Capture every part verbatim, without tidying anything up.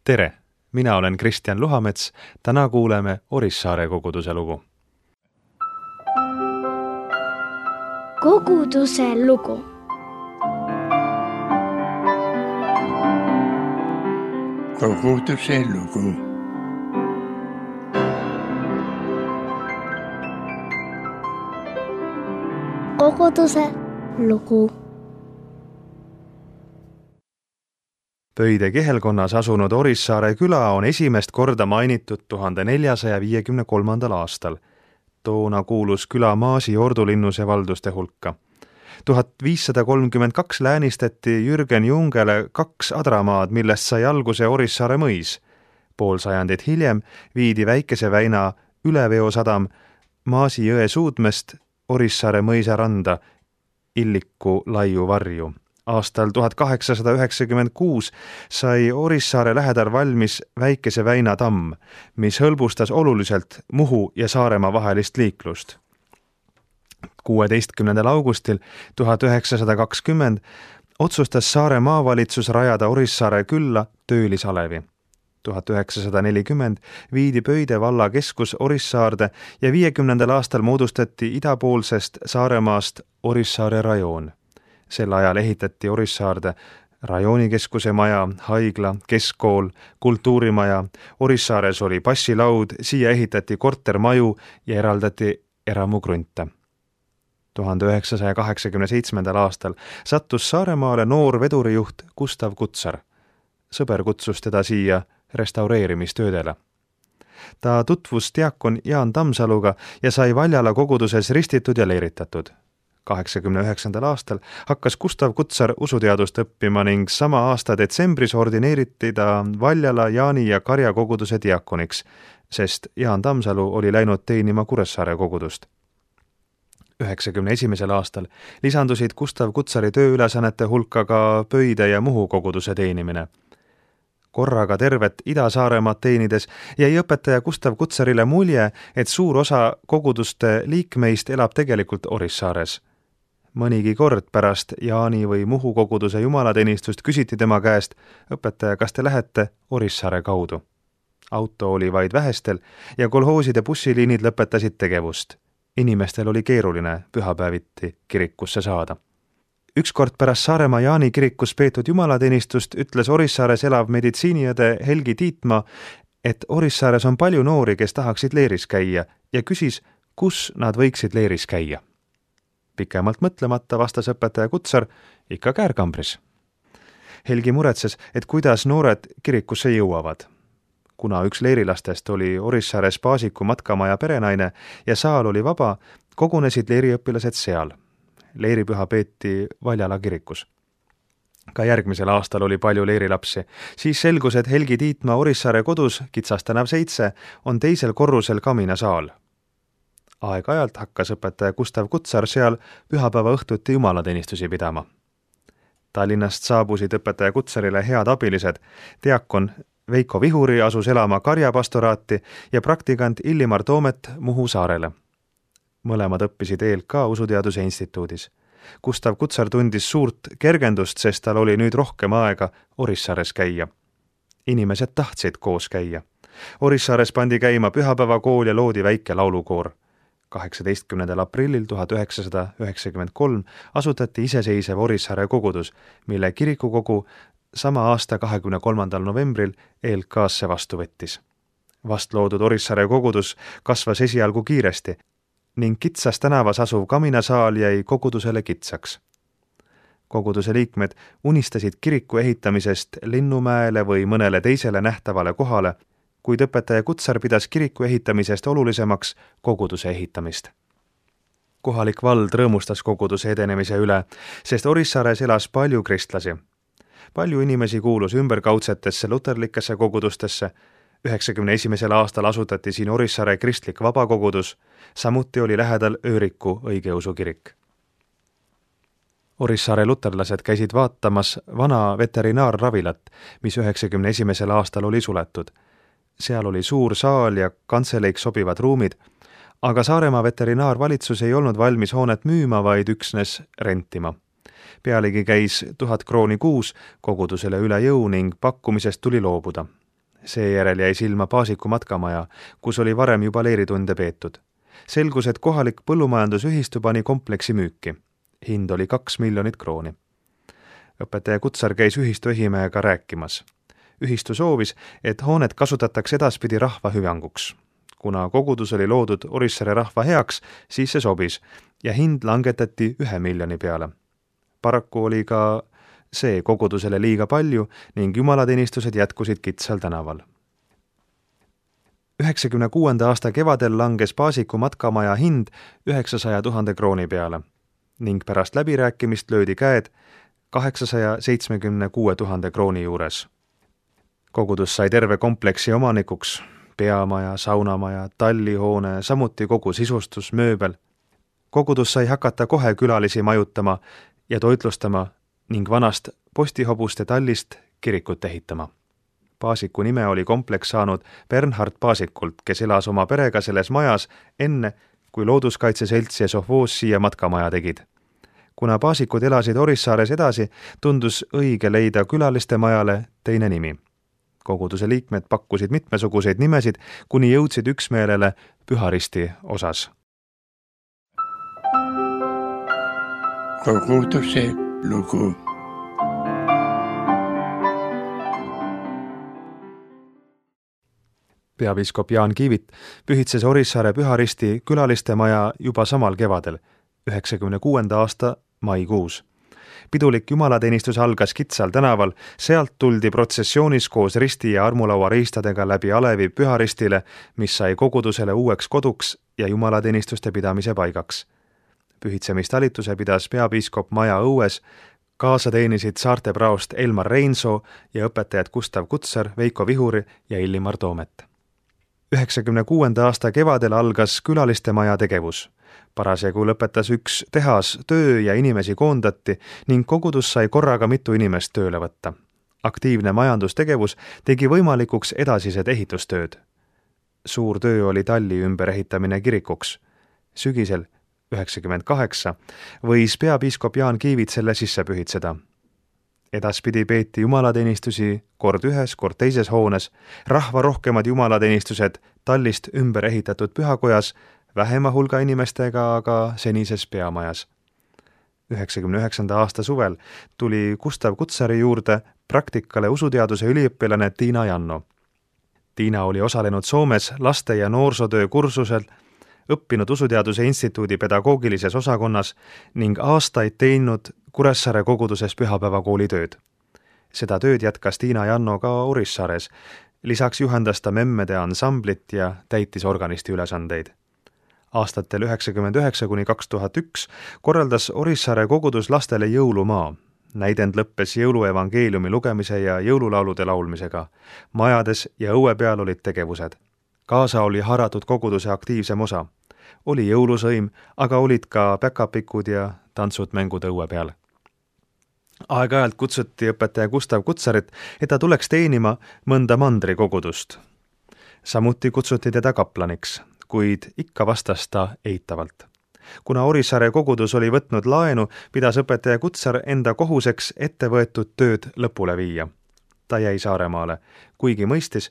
Tere! Mina olen Kristjan Luhamets. Täna kuuleme Orissaare koguduse lugu. Koguduse lugu. Koguduse lugu. Koguduse lugu. Pöide kihelkonnas asunud Orissaare küla on esimest korda mainitud tuhande neljasaja viiekümne kolmandal aastal. Toona kuulus küla Maasi ordulinnuse valduste hulka. tuhat viissada kolmkümmend kaks läänistati Jürgen Jungele kaks adramaad, millest sai alguse Orissaare mõis. Pool sajandit hiljem viidi väikese väina üleveosadam Maasi jõe suudmest Orissaare mõisa randa Illiku laiu varju. Aastal tuhat kaheksasada üheksakümmend kuus sai Orissaare lähedal valmis väikese väina tamm, mis hõlbustas oluliselt Muhu ja Saaremaa vahelist liiklust. kuueteistkümnendal augustil tuhat üheksasada kakskümmend otsustas Saare maavalitsus rajada Orissaare külla töölisalevi. tuhat üheksasada nelikümmend viidi Pöide valla keskus Orissaarde ja viiekümnendal aastal moodustati idapoolsest Saaremaast Orissaare rajoon. Sel ajal ehitati Orissaarde rajoonikeskuse maja, haigla, keskkool, kultuurimaja, Orissaares oli passilaud, siia ehitati kortermaju ja eraldati eramugrunte. tuhande üheksasaja kaheksakümne seitsmendal aastal sattus Saaremaale noor vedurijuht Gustav Kutsar. Sõber kutsus teda siia restaureerimistöödele. Ta tutvus diakon Jaan Tammsaluga ja sai Valjala koguduses ristitud ja leeritatud. kaheksakümne üheksandal aastal hakkas Gustav Kutsar usuteadust õppima ning sama aasta detsembris ordineeriti ta Valjala Jaani ja Karja koguduse diakoniks, sest Jaan Tammsalu oli läinud teenima Kuressaare kogudust. üheksakümne esimesel aastal lisandusid Gustav Kutsari tööülesannete hulka ka Pöide ja Muhu koguduse teenimine. Korraga tervet Ida-Saaremaad teenides jäi õpetaja Gustav Kutsarile mulje, et suur osa koguduste liikmeist elab tegelikult Orissaares. Mõnigi kord pärast Jaani või Muhu koguduse jumalateenistust küsiti tema käest, õpetaja, kas te lähete Orissaare kaudu? Auto oli vaid vähestel ja kolhooside bussiliinid lõpetasid tegevust. Inimestel oli keeruline pühapäeviti kirikusse saada. Ükskord pärast Saaremaa Jaani kirikus peetud jumalateenistust ütles Orissaares elav meditsiiniõde Helgi Tiitmaa, et Orissaares on palju noori, kes tahaksid leeris käia ja küsis, kus nad võiksid leeris käia. Pikemalt mõtlemata vastas õpetaja Kutsar, ikka Käärkambris. Helgi muretses, et kuidas noored kirikusse jõuavad. Kuna üks leerilastest oli Orissaares Paasiku matkamaja perenaine ja saal oli vaba, kogunesid leeriõpilased seal. Leeripüha peeti Valjala kirikus. Ka järgmisel aastal oli palju leerilapsi. Siis selgus, et Helgi Tiitmaa Orissaare kodus, Kitsas tänav seitse, on teisel korrusel kaminasaal. Aeg-ajalt hakkas õpetaja Gustav Kutsar seal pühapäeva õhtuti jumalateenistusi pidama. Tallinnast saabusid õpetaja Kutsarile head abilised. Diakon Veiko Vihuri asus elama Karja pastoraati ja praktikant Illimar Toomet Muhu saarele. Mõlemad õppisid E L K usuteaduse instituudis. Gustav Kutsar tundis suurt kergendust, sest tal oli nüüd rohkem aega Orissaares käia. Inimesed tahtsid koos käia. Orissaares pandi käima pühapäevakool ja loodi väike laulukoor. kaheksateistkümnendal aprillil tuhat üheksasada üheksakümmend kolm asutati iseseisev Orissaare kogudus, mille kirikukogu sama aasta kahekümne kolmandal novembril E L K-sse vastu võttis. Vast loodud Orissaare kogudus kasvas esialgu kiiresti ning Kitsas tänavas asuv kaminasaal jäi kogudusele kitsaks. Koguduse liikmed unistasid kiriku ehitamisest Linnumäele või mõnele teisele nähtavale kohale, kuid õpetaja Kutsar pidas kiriku ehitamisest olulisemaks koguduse ehitamist. Kohalik vald rõõmustas koguduse edenemise üle, sest Orissaares elas palju kristlasi. Palju inimesi kuulus ümberkaudsetesse luterlikesse kogudustesse. üheksakümne esimesel aastal asutati siin Orissaare kristlik vabakogudus, samuti oli lähedal Ööriku õigeusu kirik. Orissaare luterlased käisid vaatamas vana veterinaarravilat, mis üheksakümne esimesel aastal oli suletud. Seal oli suur saal ja kantseleik sobivad ruumid, aga Saaremaa veterinaarvalitsus ei olnud valmis hoonet müüma, vaid üksnes rentima. Pealegi käis tuhat krooni kuus kogudusele üle jõu ning pakkumisest tuli loobuda. Seejärel jäi silma Paasiku matkamaja, kus oli varem juba leeritunde peetud. Selgus, et kohalik põllumajandusühistu pani kompleksi müüki. Hind oli kaks miljonit krooni. Õpetaja Kutsar käis ühistu ehimehega rääkimas. Ühistu soovis, et hoonet kasutatakse edaspidi rahva hüvanguks. Kuna kogudus oli loodud Orissaare rahva heaks, siis see sobis ja hind langetati ühe miljoni peale. Paraku oli ka see kogudusele liiga palju ning jumalateenistused jätkusid Kitsal tänaval. üheksakümne kuuenda aasta kevadel langes Paasiku matkamaja hind üheksasaja tuhande krooni peale ning pärast läbirääkimist löödi käed kaheksasaja seitsmekümne kuue tuhande krooni juures. Kogudus sai terve kompleksi omanikuks, peamaja, saunamaja, tallihoone, samuti kogu sisustus, mööbel. Kogudus sai hakata kohe külalisi majutama ja toitlustama ning vanast postihobuste tallist kirikut ehitama. Paasiku nime oli kompleks saanud Bernhard Paasikult, kes elas oma perega selles majas enne, kui Looduskaitseselts ja Sovhoos siia matkamaja tegid. Kuna Paasikud elasid Orissaares edasi, tundus õige leida külaliste majale teine nimi. Koguduse liikmed pakkusid mitmesuguseid nimesid, kuni jõudsid üksmeelele Püharisti osas. Koguduse lugu. Peapiiskop Jaan Kiivit pühitses Orissaare Püharisti külaliste maja juba samal kevadel, üheksakümne kuuenda aasta maikuus. Pidulik jumalateenistus algas Kitsal tänaval, sealt tuldi protsessioonis koos risti ja armulaua riistadega läbi alevi Püharistile, mis sai kogudusele uueks koduks ja jumalateenistuste pidamise paigaks. Pühitsemistalituse pidas peapiiskop maja õues, kaasa teenisid saarte praost Elmar Reinsoo ja õpetajad Gustav Kutsar, Veiko Vihuri ja Illimar Toomet. üheksakümne kuuenda aasta kevadel algas külaliste maja tegevus. Parasjagu lõpetas üks tehas töö ja inimesi koondati ning kogudus sai korraga mitu inimest tööle võtta. Aktiivne majandustegevus tegi võimalikuks edasised ehitustööd. Suur töö oli talli ümberehitamine kirikuks. Sügisel üheksakümmend kaheksa võis peapiiskop Jaan Kiivit selle sisse pühitseda. Edaspidi peeti jumalateenistusi kord ühes, kord teises hoones, rahva rohkemad jumalateenistused tallist ümber ehitatud pühakojas, vähema hulga inimestega aga senises peamajas. üheksakümne üheksanda aasta suvel tuli Gustav Kutsari juurde praktikale usuteaduse üliõpilane Tiina Janno. Tiina oli osalenud Soomes laste- ja noorsootöö kursusel, õppinud Usuteaduse Instituudi pedagoogilises osakonnas ning aastaid teinud Kuressaare koguduses pühapäevakooli tööd. Seda tööd jätkas Tiina Janno ka Orissaares, lisaks juhendas ta memmede ansamblit ja täitis organisti ülesandeid. Aastatel üheksakümmend üheksa kuni kaks tuhat üks korraldas Orissaare kogudus lastele jõulumaa. Näidend lõppes jõuluevangeeliumi lugemise ja jõululaulude laulmisega. Majades ja õue peal olid tegevused. Kaasa oli haaratud koguduse aktiivsem osa. Oli jõulusõim, aga olid ka päkapikud ja tantsud-mängud õue peal. Aeg-ajalt kutsuti õpetaja Gustav Kutsarit, et ta tuleks teenima mõnda mandri kogudust. Samuti kutsuti teda kaplaniks, kuid ikka vastas ta eitavalt. Kuna Orissaare kogudus oli võtnud laenu, pidas õpetaja Kutsar enda kohuseks ette võetud tööd lõpule viia. Ta jäi Saaremaale, kuigi mõistis,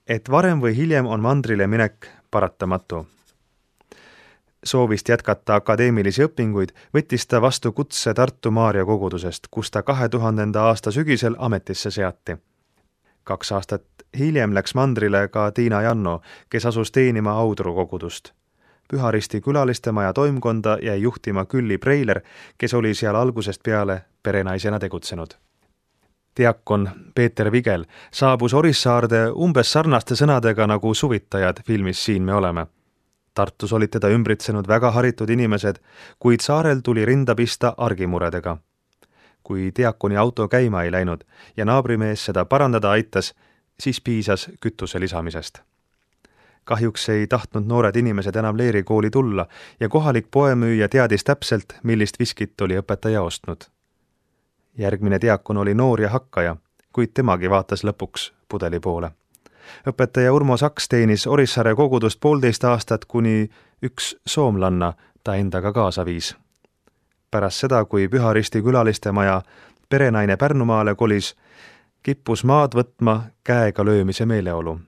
et varem või hiljem on mandrile minek paratamatu. Soovist jätkata akadeemilisi õpinguid võttis ta vastu kutse Tartu Maarja kogudusest, kus ta kahe tuhandenda aasta sügisel ametisse seati. Kaks aastat hiljem läks mandrile ka Tiina Janno, kes asus teenima Audru kogudust. Püharisti külaliste maja toimkonda jäi juhtima Külli Preiler, kes oli seal algusest peale perenaisena tegutsenud. Diakon Peeter Vigel saabus Orissaarde umbes sarnaste sõnadega nagu suvitajad filmis Siin me oleme. Tartus olid teda ümbritsenud väga haritud inimesed, kuid saarel tuli rinda pista argimuredega. Kui diakoni auto käima ei läinud ja naabrimees seda parandada aitas, siis piisas kütuse lisamisest. Kahjuks ei tahtnud noored inimesed enam leerikooli tulla ja kohalik poemüüja teadis täpselt, millist viskit oli õpetaja ostnud. Järgmine diakon oli noor ja hakkaja, kuid temagi vaatas lõpuks pudeli poole. Õpetaja Urmo Saks teenis Orissaare kogudust poolteist aastat, kuni üks soomlanna ta endaga kaasa viis. Pärast seda, kui Püharisti külaliste maja perenaine Pärnumaale kolis, kippus maad võtma käega löömise meeleolu.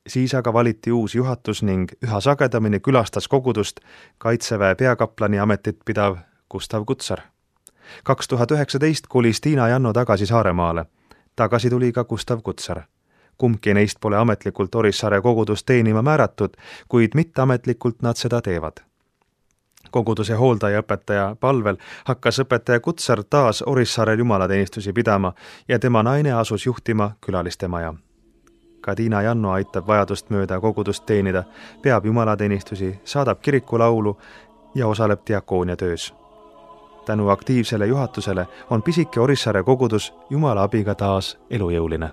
Siis aga valiti uus juhatus ning üha sagedamini külastas kogudust Kaitseväe peakaplani ametit pidav Gustav Kutsar. kaks tuhat üheksateist kolis Tiina Janno tagasi Saaremaale. Tagasi tuli ka Gustav Kutsar. Kumbki neist pole ametlikult Orissaare kogudust teenima määratud, kuid mitteametlikult nad seda teevad. Koguduse hooldaja õpetaja palvel hakkas õpetaja Kutsar taas Orissaarel jumalateenistusi pidama ja tema naine asus juhtima külaliste maja. Ka Tiina Janno aitab vajadust mööda kogudust teenida, peab jumalateenistusi, saadab kirikulaulu ja osaleb diakoonia töös. Tänu aktiivsele juhatusele on pisike Orissaare kogudus Jumala abiga taas elujõuline.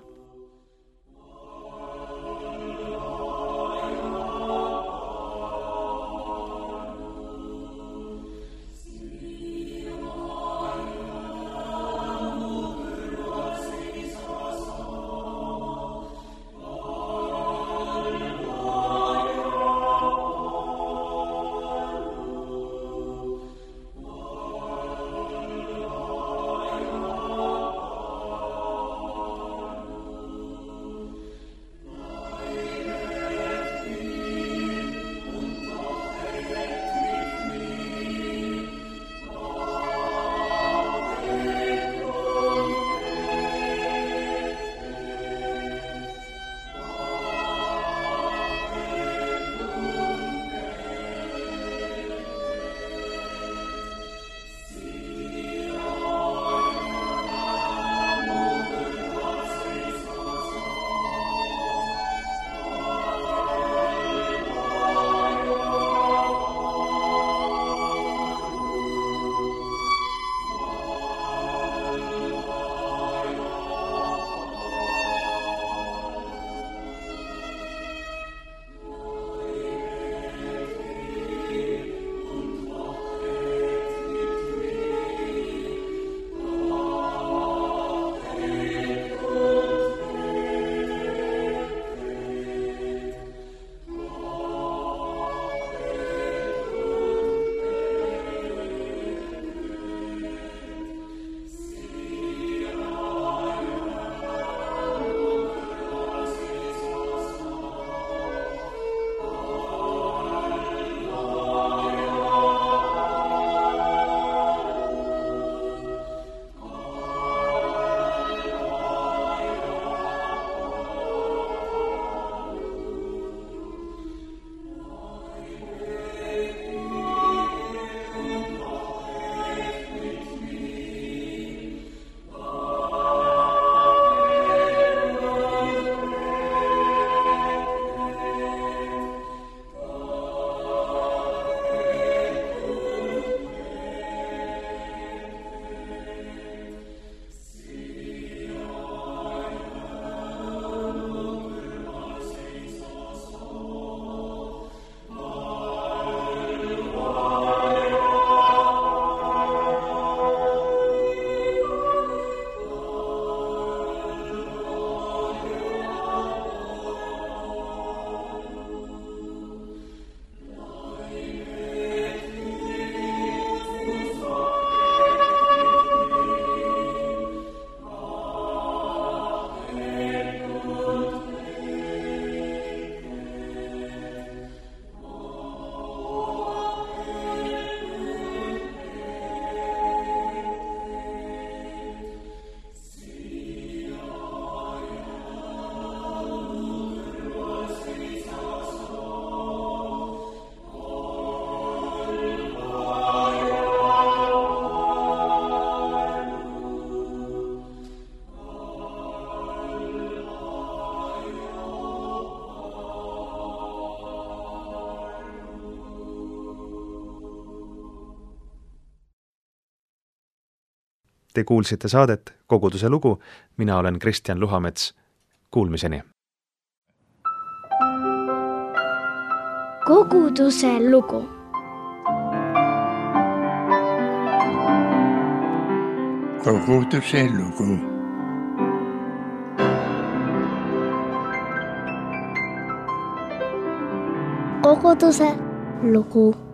Te kuulsite saadet Koguduse lugu, mina olen Kristjan Luhamets. Kuulmiseni! Koguduse lugu. Koguduse lugu. Koguduse lugu.